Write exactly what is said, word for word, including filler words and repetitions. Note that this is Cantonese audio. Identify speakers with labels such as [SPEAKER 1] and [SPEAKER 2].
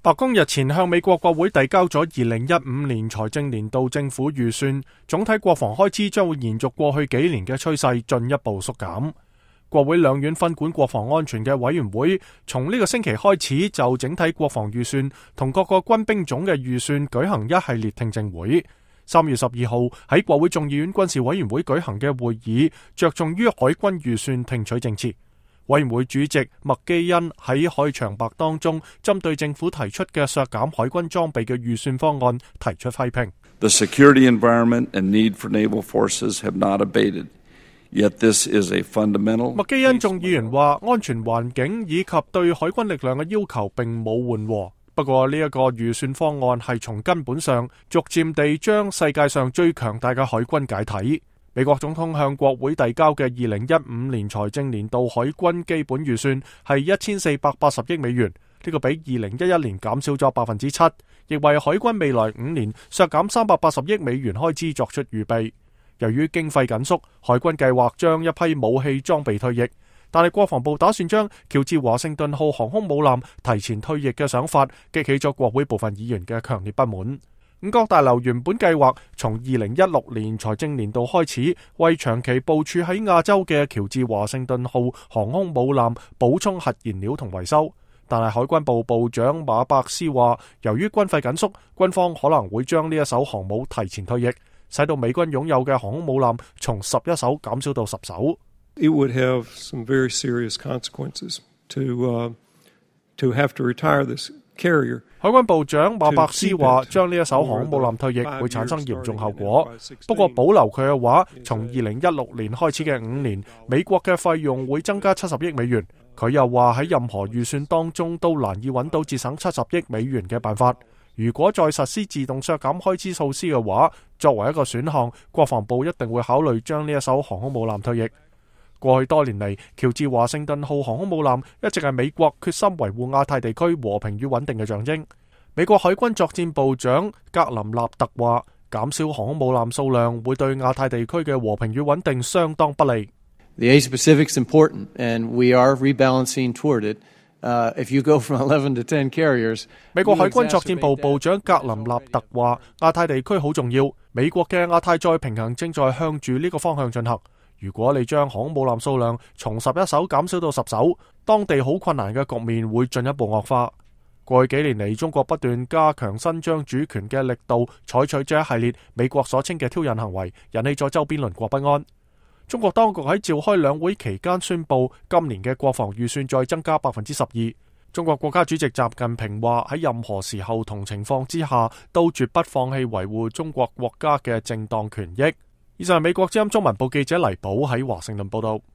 [SPEAKER 1] 白宮日前向美國國會遞交咗二零一五年財政年度政府預算，總體國防開支將會延續過去幾年嘅趨勢，進一步縮減。國會兩院分管國防安全嘅委員會，從呢個星期開始就整體國防預算同各個軍兵種嘅預算舉行一系列聽證會。三月十二號喺國會眾議院軍事委員會舉行嘅會議，着重於海軍預算聽取政策。委員會主席麥基恩喺開場白當中，針對政府提出嘅削減海軍裝備嘅預算方案提出批評。
[SPEAKER 2] The security environment and need for naval forces have not abated. Yet this is a fundamental.
[SPEAKER 1] 麥基恩眾議員話，安全環境以及對海軍力量嘅要求並冇緩和。不過呢一個預算方案係從根本上逐漸地將世界上最強大嘅海軍解體。美國總統向國會遞交嘅二零一五年財政年度海軍基本預算係一千四百八十億美元，呢個比二零一一年減少咗百分之七，亦為海軍未來五年削減三百八十億美元開支作出預備。由於經費緊縮，海軍計劃將一批武器裝備退役，但係國防部打算將喬治華盛頓號航空母艦提前退役嘅想法，激起咗國會部分議員嘅強烈不滿。五角大樓原本計劃從二零一六年財政年度開始，為長期部署喺亞洲嘅喬治華盛頓號航空母艦補充核燃料同維修，但係海軍部部長馬伯斯話，由於軍費緊縮，軍方可能會將呢一艘航母提前退役，使到美軍擁有嘅航空母艦從十一艘減少到十艘。
[SPEAKER 3] It would have some very serious consequences to, uh, to have to retire this carrier.
[SPEAKER 1] 海軍部長馬伯斯話，將呢一艘航空母艦退役會產生嚴重後果。不過保留佢嘅話，從二零一六年開始嘅五年，美國嘅費用會增加七十億美元。佢又話喺任何預算當中都難以揾到節省七十億美元嘅辦法。如果再實施自動削減開支措施嘅話，作為一個選項，國防部一定會考慮將呢一艘航空母艦退役。過去多年嚟，喬治華盛頓號航空母艦一直係美國決心維護亞太地區和平與穩定嘅象徵。美國海軍作戰部長格林納特話，減少航空母艦數量會對亞太地區嘅和平與穩定相當不利。
[SPEAKER 4] The Asia Pacific is important, and we are rebalancing toward it. Uh, if you go from eleven to ten carriers,
[SPEAKER 1] 美國海軍作戰部部長格林納特話，亞太地區好重要，美國嘅亞太再平衡正在向住呢個方向進行。如果你將航空母艦數量從十一艘減少到十艘，當地好困難嘅局面會進一步惡化。過去幾年嚟，中國不斷加強伸張主權嘅力度，採取咗一系列美國所稱嘅挑釁行為，引起咗周邊鄰國不安。中國當局喺召開兩會期間宣布，今年嘅國防預算再增加百分之十二。中國國家主席習近平話，喺任何時候同情況之下，都絕不放棄維護中國國家嘅正當權益。以上係美國之音中文部記者黎寶喺華盛頓報道。